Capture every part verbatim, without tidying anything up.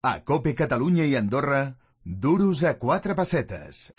A COPE Catalunya i Andorra, duros a quatre pessetes.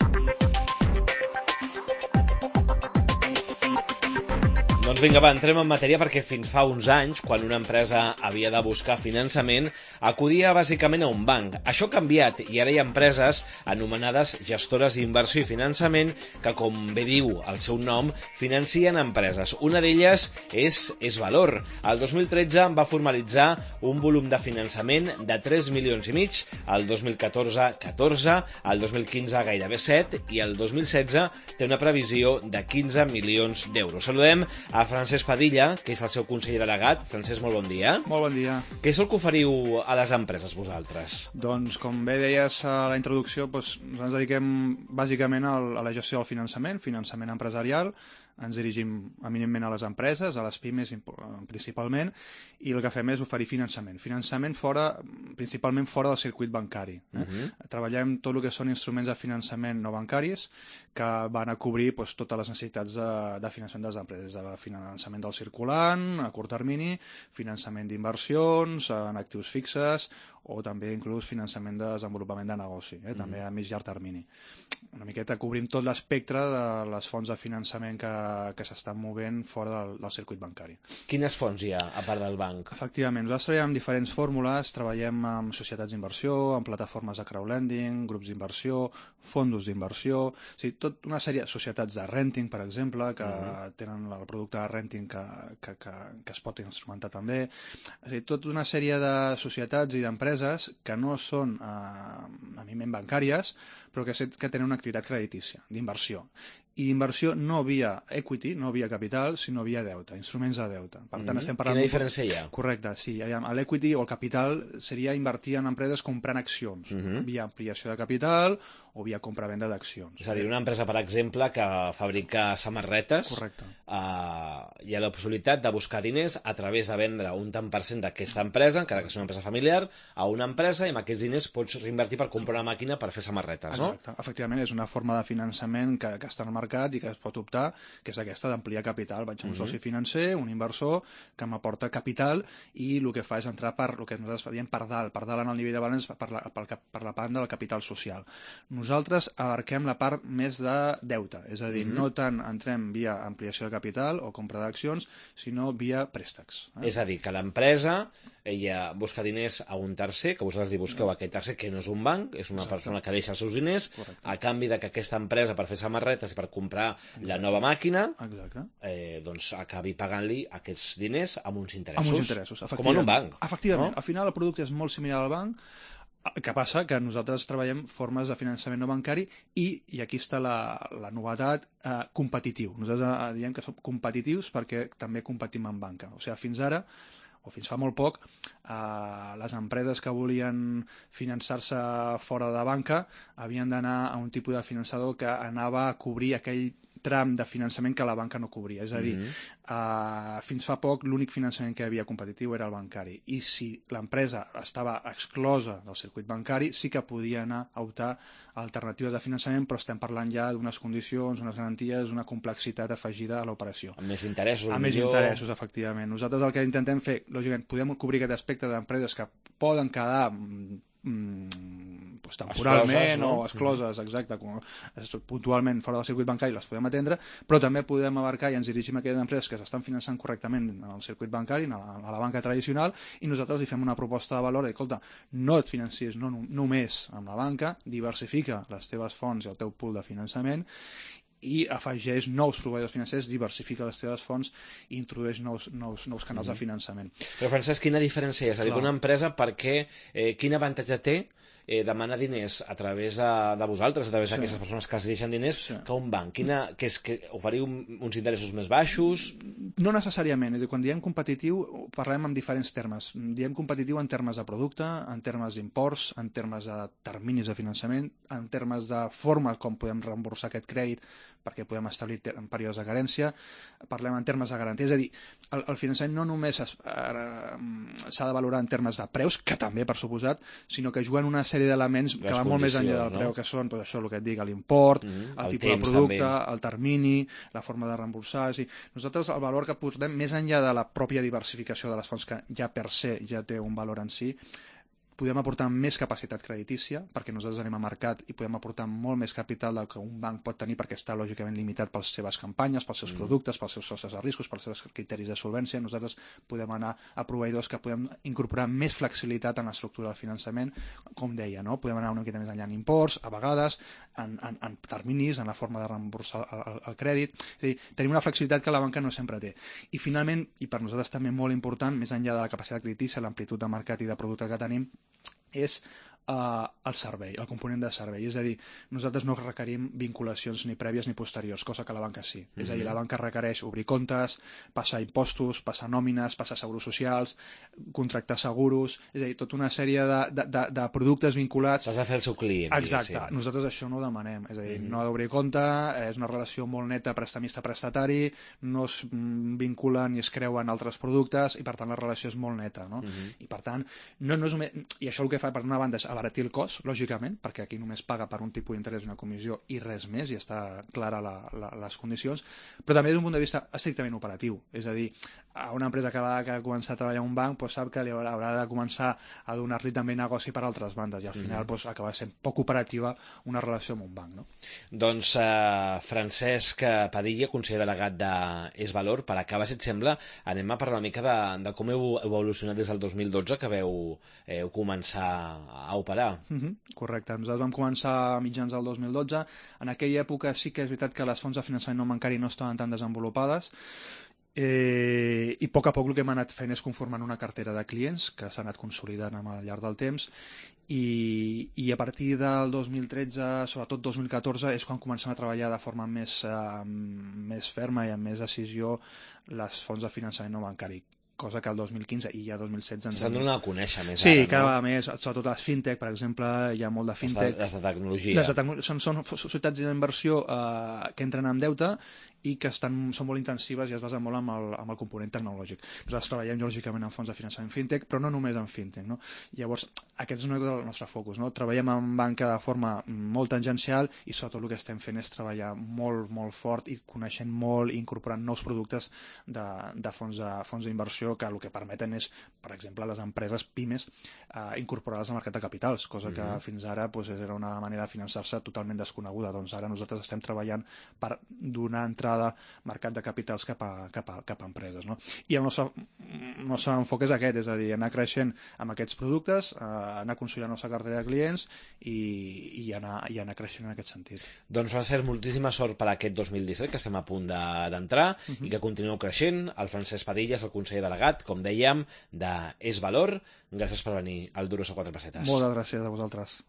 Doncs vinga, va, entrem en matèria perquè fins fa uns anys, quan una empresa havia de buscar finançament, acudia bàsicament a un banc. Això ha canviat i ara hi ha empreses anomenades gestores d'inversió i finançament que, com bé diu el seu nom, financien empreses. Una d'elles és És Valor. El dos mil tretze va formalitzar un volum de finançament de tres milions i mig, el dos mil catorze catorze, el dos mil quinze gairebé set i el dos mil setze té una previsió de quinze milions d'euros. Saludem a Francesc Padilla, que és el seu conseller delegat. Francesc, molt bon dia. Molt bon dia. Què és el que oferiu a les empreses, vosaltres? Doncs, com bé deies a la introducció, doncs, ens dediquem bàsicament a la gestió del finançament, finançament empresarial. Ens dirigim eminentment a les empreses, a les pimes principalment, i el que fem és oferir finançament. Finançament fora, principalment fora del circuit bancari. Eh? Uh-huh. Treballem tot el que són instruments de finançament no bancaris que van a cobrir doncs, totes les necessitats de, de finançament de les empreses, de finançament del circulant, a curt termini, finançament d'inversions, en actius fixes, o també inclús finançament de desenvolupament de negoci, eh? també a mig llarg termini. Una miqueta cobrim tot l'espectre de les fonts de finançament que, que s'estan movent fora del, del circuit bancari. Quines fonts hi ha, a part del banc? Efectivament, nosaltres treballem amb diferents fórmules, treballem amb societats d'inversió, amb plataformes de crowdlending, grups d'inversió, fondos d'inversió, o sigui, tota una sèrie de societats de renting, per exemple, que uh-huh. tenen el producte de renting que, que, que, que es pot instrumentar també. O sigui, tota una sèrie de societats i d'empreses que no són eh, eminentment bancàries, però que, que tenen una activitat creditícia, d'inversió. I d'inversió no via equity, no via capital, sinó via deute, instruments de deute. Per tant, mm-hmm. estem parlant... Quina diferència hi ha? Correcte, sí. L'equity o el capital seria invertir en empreses comprant accions, mm-hmm. via ampliació de capital o via compra-venda d'accions. És a dir, una empresa, per exemple, que fabrica samarretes, correcte. Eh, hi ha la possibilitat de buscar diners a través de vendre un tant per cent d'aquesta empresa, encara que sigui una empresa familiar, a una empresa, i amb aquests diners pots reinvertir per comprar una màquina per fer samarretes, no? Exacte. Efectivament, és una forma de finançament que, que està en el mercat i que es pot optar, que és aquesta d'ampliar capital. Vaig a un uh-huh. soci financer, un inversor, que m'aporta capital i el que fa és entrar per el que nosaltres diem per dalt, per dalt en el nivell de balanç, per la, per, per la part del capital social. Nosaltres abarquem la part més de deute, és a dir, uh-huh. no tant entrem via ampliació de capital o compra d'accions, sinó via préstecs. Eh? És a dir, que l'empresa ella busca diners a un tercer, que vosaltres li busqueu a aquest tercer, que no és un banc, és una Exacte. persona que deixa els seus diners, Correcte. a canvi de que aquesta empresa, per fer samarretes i per comprar Exacte. la nova màquina, eh, doncs acabi pagant-li aquests diners amb uns interessos. Amb uns interessos, com en un banc. Efectivament. No? Al final el producte és molt similar al banc. El que passa que nosaltres treballem formes de finançament no bancari i, i aquí està la, la novetat, eh, competitiu. Nosaltres eh, diem que som competitius perquè també competim en banca. O sigui, fins ara, o fins fa molt poc, eh, les empreses que volien finançar-se fora de banca havien d'anar a un tipus de finançador que anava a cobrir aquell tram de finançament que la banca no cobria. És a dir, mm-hmm. uh, fins fa poc l'únic finançament que hi havia competitiu era el bancari. I si l'empresa estava exclosa del circuit bancari, sí que podia anar a optar a alternatives de finançament, però estem parlant ja d'unes condicions, unes garanties, una complexitat afegida a l'operació. Amb més interessos. Amb més interessos, efectivament. Nosaltres el que intentem fer, lògicament, podem cobrir aquest aspecte d'empreses que poden quedar Mm, pues, temporalment excloses, no? o excloses, exacte, com, puntualment fora del circuit bancari les podem atendre, però també podem abarcar i ens dirigim a aquelles empreses que s'estan finançant correctament en el circuit bancari, a la, a la banca tradicional, i nosaltres li fem una proposta de valor de, escolta, no et financies no, només amb la banca, diversifica les teves fonts i el teu pool de finançament i afegeix nous proveïdors financers, diversifica les teves fonts i introdueix nous, nous, nous canals mm-hmm. de finançament. Però, Francesc, quina diferència és? És a dir, una empresa, perquè, eh, quin avantatge té eh, demanar diners a través de, de vosaltres, a través sí. d'aquestes persones que els deixen diners, sí. que un banc? Quina, que és que oferiu uns interessos més baixos? No necessàriament. És a dir, quan diem competitiu, parlem en diferents termes. Diem competitiu en termes de producte, en termes d'imports, en termes de terminis de finançament, en termes de forma com podem reemborsar aquest crèdit perquè podem establir en períodes de carència, parlem en termes de garantia. És a dir, el, el finançament no només s'ha de valorar en termes de preus, que també, per suposat, sinó que juguen una sèrie d'elements que van molt més enllà del preu, no? que són doncs, això, el que et dic, l'import, mm-hmm. el, el tipus de producte, també. el termini, la forma de reemborsar. És a dir, nosaltres el valor que portem més enllà de la pròpia diversificació de les fonts, que ja per se ja té un valor en si, podem aportar més capacitat creditícia, perquè nosaltres anem a mercat i podem aportar molt més capital del que un banc pot tenir, perquè està lògicament limitat per les seves campanyes, pels seus mm. productes, pels seus socis de riscos, pels seus criteris de solvència. Nosaltres podem anar a proveïdors que podem incorporar més flexibilitat en l'estructura del finançament, com deia, no? Podem anar una miqueta més enllà en imports, a vegades, en, en, en terminis, en la forma de reemborsar el, el, el crèdit. És a dir, tenim una flexibilitat que la banca no sempre té. I finalment, i per nosaltres també molt important, més enllà de la capacitat creditícia, l'amplitud de mercat i de producte que tenim, és uh, el servei, el component de servei. És a dir, nosaltres no requerim vinculacions ni prèvies ni posteriors, cosa que la banca sí. Mm-hmm. És a dir, la banca requereix obrir comptes, passar impostos, passar nòmines, passar seguros socials, contractar seguros, és a dir, tota una sèrie de, de, de, de productes vinculats. S'has de fer el seu client. Exacte. Sí. Nosaltres això no ho demanem. És a dir, mm-hmm. no ha d'obrir compte, és una relació molt neta prestamista-prestatari, no es vinculen ni es creuen altres productes i, per tant, la relació és molt neta. No? Mm-hmm. I, per tant, no, no és només... I això el que fa, per una banda, és abaratir el cost, lògicament, perquè aquí només paga per un tipus d'interès una comissió i res més, i està clara la, la, les condicions, però també des d'un punt de vista estrictament operatiu. És a dir, a una empresa que va que començar a treballar en un banc doncs sap que li haurà, haurà de començar a donar-li també negoci per altres bandes i al final mm. doncs, acaba sent poc operativa una relació amb un banc. No? Doncs eh, Francesc Padilla, conseller delegat de Es Valor, per acabar, si et sembla, anem a parlar una mica de, de com heu evolucionat des del dos mil dotze que veu eh, començar a operar. Mm-hmm. Correcte. Nosaltres vam començar a mitjans del dos mil dotze. En aquella època sí que és veritat que les fonts de finançament no bancari no estaven tan desenvolupades, Eh, i a poc a poc el que hem anat fent és conformant una cartera de clients que s'ha anat consolidant al llarg del temps i, i a partir del dos mil tretze, sobretot dos mil catorze, és quan comencem a treballar de forma més, eh, més ferma i amb més decisió les fonts de finançament no bancari, cosa que el dos mil quinze i ja dos mil setze... S'estan donant a conèixer més sí, ara, no? Sí, cada vegada més, sobretot les fintech, per exemple, hi ha molt de fintech. Les de tecnologia. Les de tecnologia. Són, són societats d'inversió eh, que entren en deute i que estan, són molt intensives i es basen molt en el, en el component tecnològic. Nosaltres treballem lògicament en fons de finançament fintech, però no només en fintech. No? Llavors, aquest és el nostre focus. No? Treballem en banca de forma molt tangencial i sobretot el que estem fent és treballar molt, molt fort i coneixent molt i incorporant nous productes de, de fons de, fons d'inversió que el que permeten és, per exemple, les empreses pimes eh, incorporar-les al mercat de capitals, cosa que mm-hmm. fins ara pues, era una manera de finançar-se totalment desconeguda. Doncs ara nosaltres estem treballant per donar entrada de mercat de capitals cap a, cap a, cap a empreses. No? I el nostre, el nostre enfoc és aquest, és a dir, anar creixent amb aquests productes, eh, anar consolidant la nostra cartera de clients i, i, anar, i anar creixent en aquest sentit. Doncs Francesc, moltíssima sort per aquest dos mil disset, que estem a punt d'entrar de, uh-huh. i que continueu creixent. El Francesc Padilla és el conseller delegat, com dèiem, de Es Valor. Gràcies per venir al Duros a quatre pessetes. Moltes gràcies a vosaltres.